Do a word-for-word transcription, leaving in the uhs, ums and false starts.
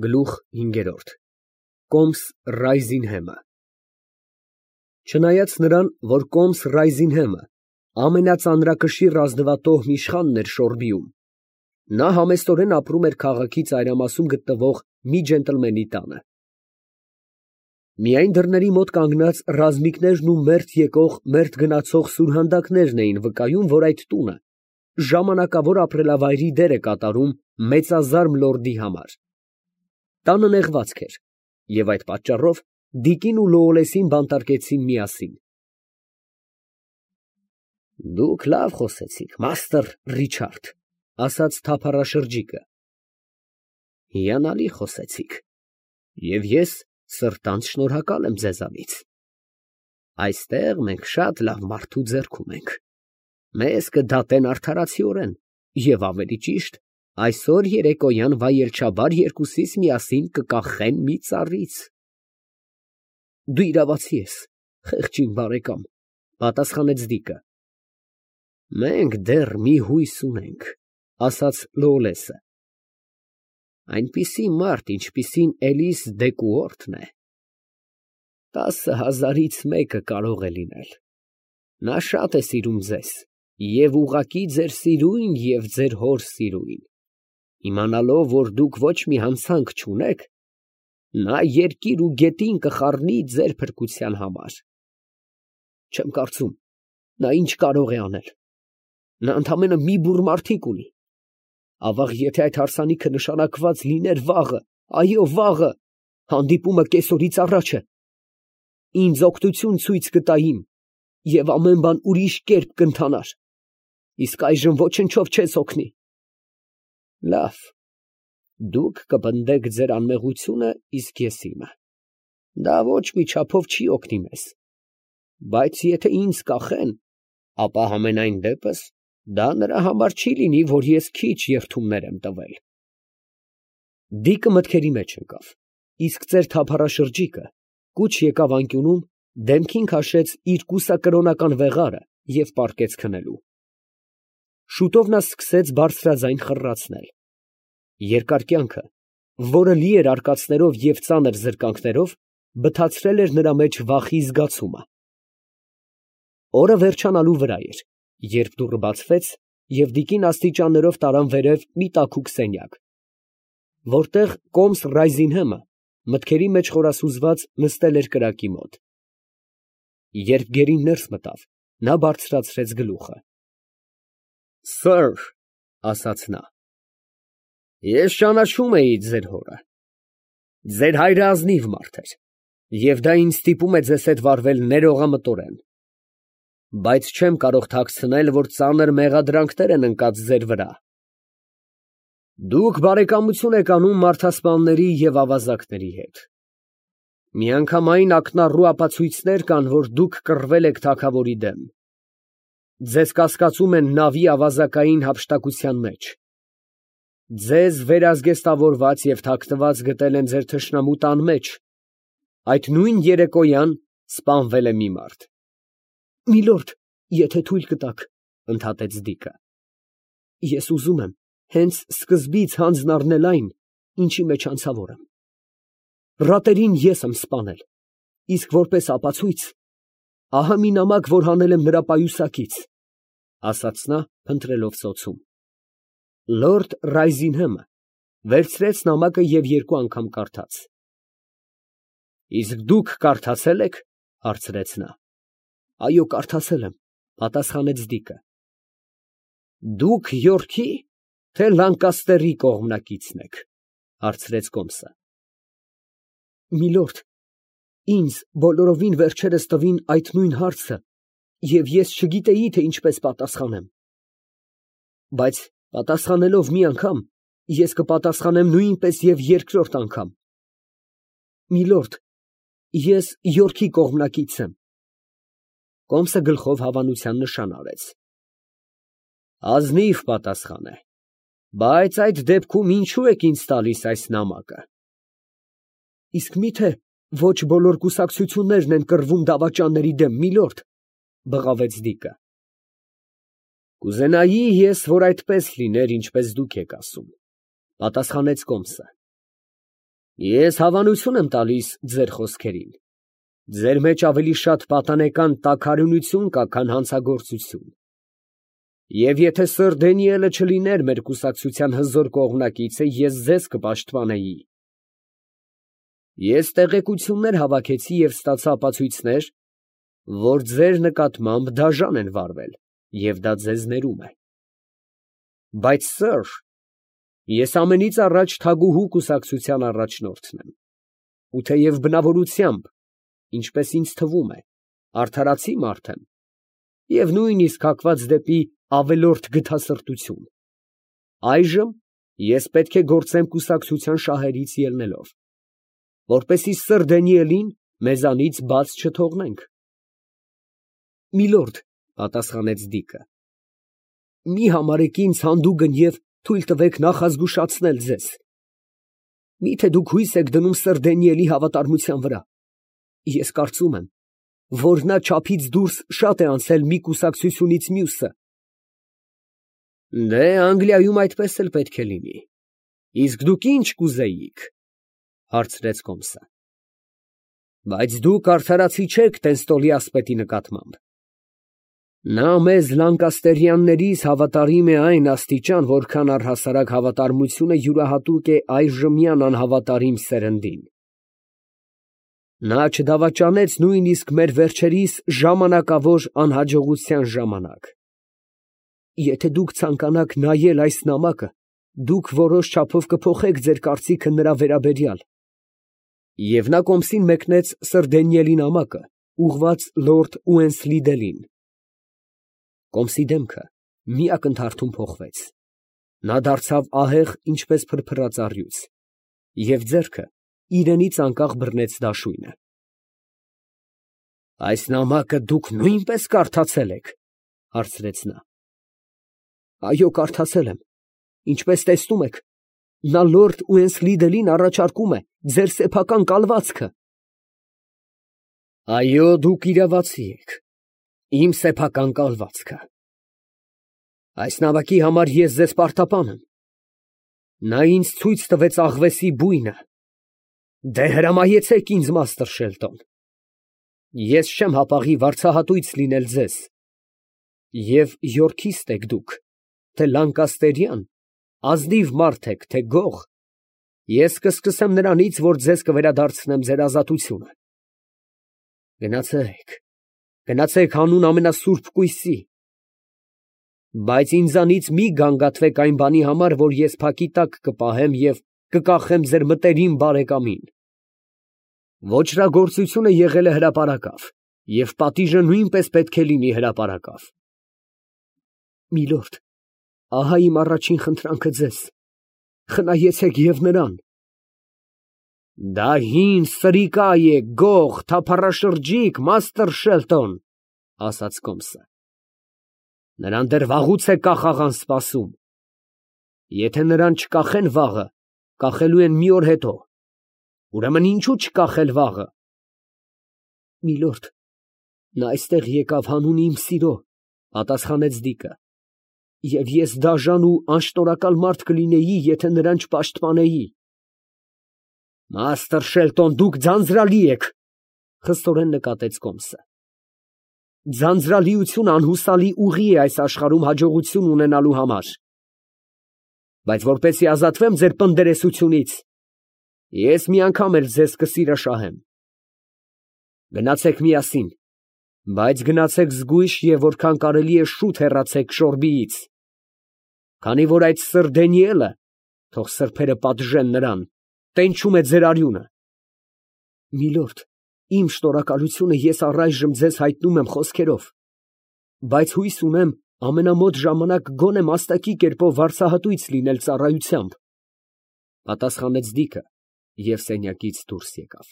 Գլուխ հինգերորդ Կոմս Ռայզինհեմը Չնայած նրան, որ Կոմս Ռայզինհեմը ամենածանրակշիռ ազնվատոհն իշխանն էր Շորբիում, նա համեստորեն ապրում էր քաղաքի ծայրամասում գտնվող մի ջենտլմենի տանը։ Միայն դռների մոտ կանգնած ռազմիկներն ու մերթ եկող, մերթ գնացող սուրհանդակներն էին վկայում, որ այդ տունը ժամանակավոր ապրելավայրի դեր է կատարում մեծազարմ լորդի համար։ Տանը նեղվածք էր, և այդ պատճառով Դիկին ու Լոոլեսին բանտարկեցին միասին։ Դուք լավ խոսեցիք, մաստր Ռիչարդ, ասաց թափառաշրջիկը։ Հիանալի խոսեցիք, և ես սրտանց շնորհակալ եմ ձեզանից։ Այստեղ մենք շատ լավ մարդու ձեռքում ենք։ Մեզ կդատեն արդարացիորեն, և ավելի ճիշտ, այսօր երեկոյան վայելչաբար երկուսիս միասին կկախեն մի ծառից։ Դու իրավացի ես, խեղճին բարեկամ, պատասխանեց Դիկը։ Մենք դեռ մի հույս ունենք, ասաց Լոոլեսը։ Այնպիսի մարդ, ինչպիսին Էլիս դե Կուորտն է, տասը հազարից մեկը կարող է լինել։ Նա շատ է սիրում ձեզ, և ուղղակի ձեր սիրույն և ձեր հոր սիրույն։ Իմանալով, որ դուք ոչ մի հանցանք չունեք, նա երկիր ու գետին կխառնի ձեր փրկության համար։ Չեմ կարծում, նա ինչ կարող է անել։ Նա ընդամենը մի բուռ մարդիկ ունի։ Ավաղ, եթե այդ հարսանիքը նշանակված լիներ վաղը, այո, վաղը, հանդիպումը կեսօրից առաջ է, ինձ օգնություն ցույց կտա իմ, և ամեն բան ուրիշ կերպ կընթանար, իսկ այժմ ոչնչով չես օգնի։ Լավ, դուք կպնդեք ձեր անմեղությունը, իսկ ես իմը։ Դա ոչ մի չափով չի օգնի մեզ, բայց եթե ինձ կախեն, ապա համենայն դեպս դա նրա համար չի լինի, որ ես քիչ երդումներ եմ տվել։ Դիկը մտքերի մեջ ընկավ, իսկ ծեր թափառաշրջիկը կուչ եկավ անկյունում, դեմքին քաշեց իր կուսակրոնական վեղարը և պառկեց քնելու։ Շուտով նա սկսեց բարձրաձայն խռռացնել։ Երկար կյանքը, որը լի էր արկածներով և ծանր զրկանքներով, բթացրել էր նրա մեջ վախի զգացումը։ Օրը վերջանալու վրա էր, երբ դուռը բացվեց, և Դիկին աստիճաններով տարան վերև մի տաքուկ սենյակ, որտեղ Կոմս Ռայզինհեմը մտքերի մեջ խորասուզված նստել էր կրակի մոտ։ Երբ գերին ներս մտավ, նա բարձրացրեց գլուխը։ Սըր, ասաց նա, ես ճանաչում էի ձեր հորը։ Ձեր հայրը ազնիվ մարդ էր, և դա ինձ ստիպում է ձեզ հետ վարվել ներողամտորեն, բայց չեմ կարող թաքցնել, որ ծանր մեղադրանքներ են ընկած ձեր վրա։ Դուք բարեկամություն եք անում մարդասպանների և ավազակների հետ։ Միանգամայն ակնառու ապացույցներ կան, որ դուք կռվել եք թագավորի դեմ։ Ձեզ կասկածում են նավի ավազակային հափշտակության մեջ։ Ձեզ վերազգեստավորված և թաքնված գտել են ձեր թշնամու տան մեջ։ Այդ նույն երեկոյան սպանվել է մի մարդ։ Միլորդ, եթե թույլ կտաք, ընդհատեց Դիկը, ես ուզում եմ հենց սկզբից հանձն առնել այն, ինչի մեջ անցավոր եմ։ Ռատերին ես եմ սպանել, իսկ որպես ապացույց, ահա մի նամակ, որ հանել եմ նրա պայուսակից, ասաց նա, փնտրելով ծոցում։ Լորդ Ռայզինհեմը վերցրեց նամակը և երկու անգամ կարդաց։ Իսկ դուք կարդացե՞լ եք, հարցրեց նա։ Այո, կարդացել եմ, պատասխանեց Դիկը։ Դուք Յորքի, թե Լանկաստերի կողմնակիցն եք, հարցրեց Կոմսը։ Միլորդ, ինձ բոլորովին վերջերս տվին այդ նույն հարցը, և ես չգիտեի, թե ինչպես պատասխանեմ։ Բայց պատասխանելով մի անգամ, ես կպատասխանեմ նույնպես և երկրորդ անգամ։ Միլորդ, ես Յորքի կողմնակից եմ։ Կոմսը գլխով հավանության նշան արեց։ Ազնիվ պատասխան է, բայց այդ դեպքում ինչու եք ինձ տալիս այս նամակը։ Իսկ մի՞թե ոչ բոլոր կուսակցություններն են կռվում դավաճանների դեմ, միլորդ, բղավեց Դիկը։ Կուզենայի ես, որ այդպես լիներ, ինչպես դուք եք ասում, պատասխանեց Կոմսը։ Ես հավանություն եմ տալիս ձեր խոսքերին. ձեր մեջ ավելի շատ պատանեկան տաքարյունություն կա, քան հանցագործություն։ Եվ եթե սըր Դանիելը չլիներ մեր կուսակցության հզոր կողմնակիցը, ես ձեզ կպաշտպանեի։ Ես տեղեկություններ հավաքեցի և ստացա ապացույցներ, որ ձեր նկատմամբ դաժան են վարվել, և դա ձեզ ներում է։ Բայց սըր, ես ամենից առաջ թագուհու կուսակցության առաջնորդն եմ, ու թեև բնավորությամբ, ինչպես ինձ թվում է, արդարացի մարդ եմ, և նույնիսկ հակված դեպի ավելորդ գթասրտություն, այժմ ես պետք է գործեմ կուսակցության շահերից ելնելով, որպեսզի սըր Դանիելին մեզանից բաց չթողնենք։ Միլորդ, պատասխանեց Դիկը, մի համարեք ինձ հանդուգն և թույլ տվեք նախազգուշացնել ձեզ. միթե դուք հույս եք դնում սըր Դանիելի հավատարմության վրա, ես կարծում եմ, որ նա չափից դուրս շատ է անցել մի կուսակցությունից մյուսը։ Դե, Անգլիայում այդպես էլ պետք է լինի, իսկ դուք ի՞նչ կուզեիք, հարցրեց Կոմսը։ Բայց դուք արդարացի չեք Տենստոլի ասպետի նկատմամբ։ Նա մեզ Լանկաստերյաններիս հավատարիմ է այն աստիճան, որքան առհասարակ հավատարմությունը յուրահատուկ է այժմյան անհավատարիմ սերնդին։ Նա չդավաճանեց նույնիսկ մեր վերջերիս ժամանակավոր անհաջողության ժամանակ։ Եթե դուք ցանկանաք նայել այս նամակը, դուք որոշ չափով կփոխեք ձեր կարծիքը նրա վերաբերյալ։ Եվ նա Կոմսին մեկնեց սըր Դանիելի նամակը, ուղղված լորդ Ուենսլիդելին։ Կոմսի դեմքը մի ակնթարթում փոխվեց, նա դարձավ ահեղ, ինչպես փրփրած առյուծ, և ձեռքը իրենից անկախ բռնեց դաշույնը։ Այս նամակը դուք նույնպես կարդացել եք, հարցրեց նա։ Այո, կարդացել եմ, ինչպես տեսնում եք, նա լորդ Ուենսլիդելին առաջարկում է ձեր սեփական կալվածքը։ Այո, դուք իրավացի եք, իմ սեփական կալվածքը։ Այս նամակի համար ես ձեզ պարտապան եմ։ Նա ինձ ցույց տվեց աղվեսի բույնը։ Դե հրամայեցեք ինձ, մաստր Շելտոն։ Ես չեմ հապաղի վարձահատույց լինել ձեզ։ Եվ Յորքիստ եք դուք, թե Լանկաստերյան, ազնիվ մարդ եք, թե գող, ես կսկսեմ նրանից, որ ձեզ կվերադարձնեմ ձեր ազատությունը։ Գնացեք, գնացեք հանուն ամենասուրբ կույսի։ Բայց ինձանից մի գանգատվեք այն բանի համար, որ ես փակի տակ կպահեմ և կկախեմ ձեր մտերիմ բարեկամին։ Ոճրագործությունը եղել է հրապարակավ, և պատիժը նույնպես պետք է լինի հրապարակավ։ Միլորդ, ահա իմ առաջին խնդրանքը ձեզ, խնայեցեք և նրան։ Դա հին սրիկա է, գող, թափառաշրջիկ, մաստր Շելտոն, ասաց Կոմսը։ Նրան դեռ վաղուց է կախաղան սպասում։ Եթե նրան չկախեն վաղը, կախելու են մի օր հետո, ուրեմն ինչու չկախել վաղը։ Միլորդ, նա այստեղ եկավ հանուն իմ սիրո, պատասխանեց Դիկը, և ես դաժան ու անշնորհակալ մարդ կլինեի, եթե նրան չպաշտպանեի։ Մաստր Շելտոն, դուք ձանձրալի եք, խստորեն նկատեց Կոմսը։ Ձանձրալիությունը անհուսալի ուղի է այս աշխարհում հաջողություն ունենալու համար։ Բայց որպեսզի ազատվեմ ձեր պնդերեսությունից, ես մի անգամ էլ ձեզ կսիրաշահեմ։ Գնացեք միասին, բայց գնացեք զգույշ և որքան կարելի է շուտ հեռացեք Շորբիից, քանի որ այդ սըր Դանիելը, թող սրբերը պատժեն նրան, տենչում է ձեր արյունը։ Միլորդ, իմ շնորհակալությունը ես առայժմ ձեզ հայտնում եմ խոսքերով, բայց հույս ունեմ ամենամոտ ժամանակ գոնե մաստակի կերպով վարձահատույց լինել ծառայությամբ, պատասխանեց Դիկը և սենյակից դուրս եկավ։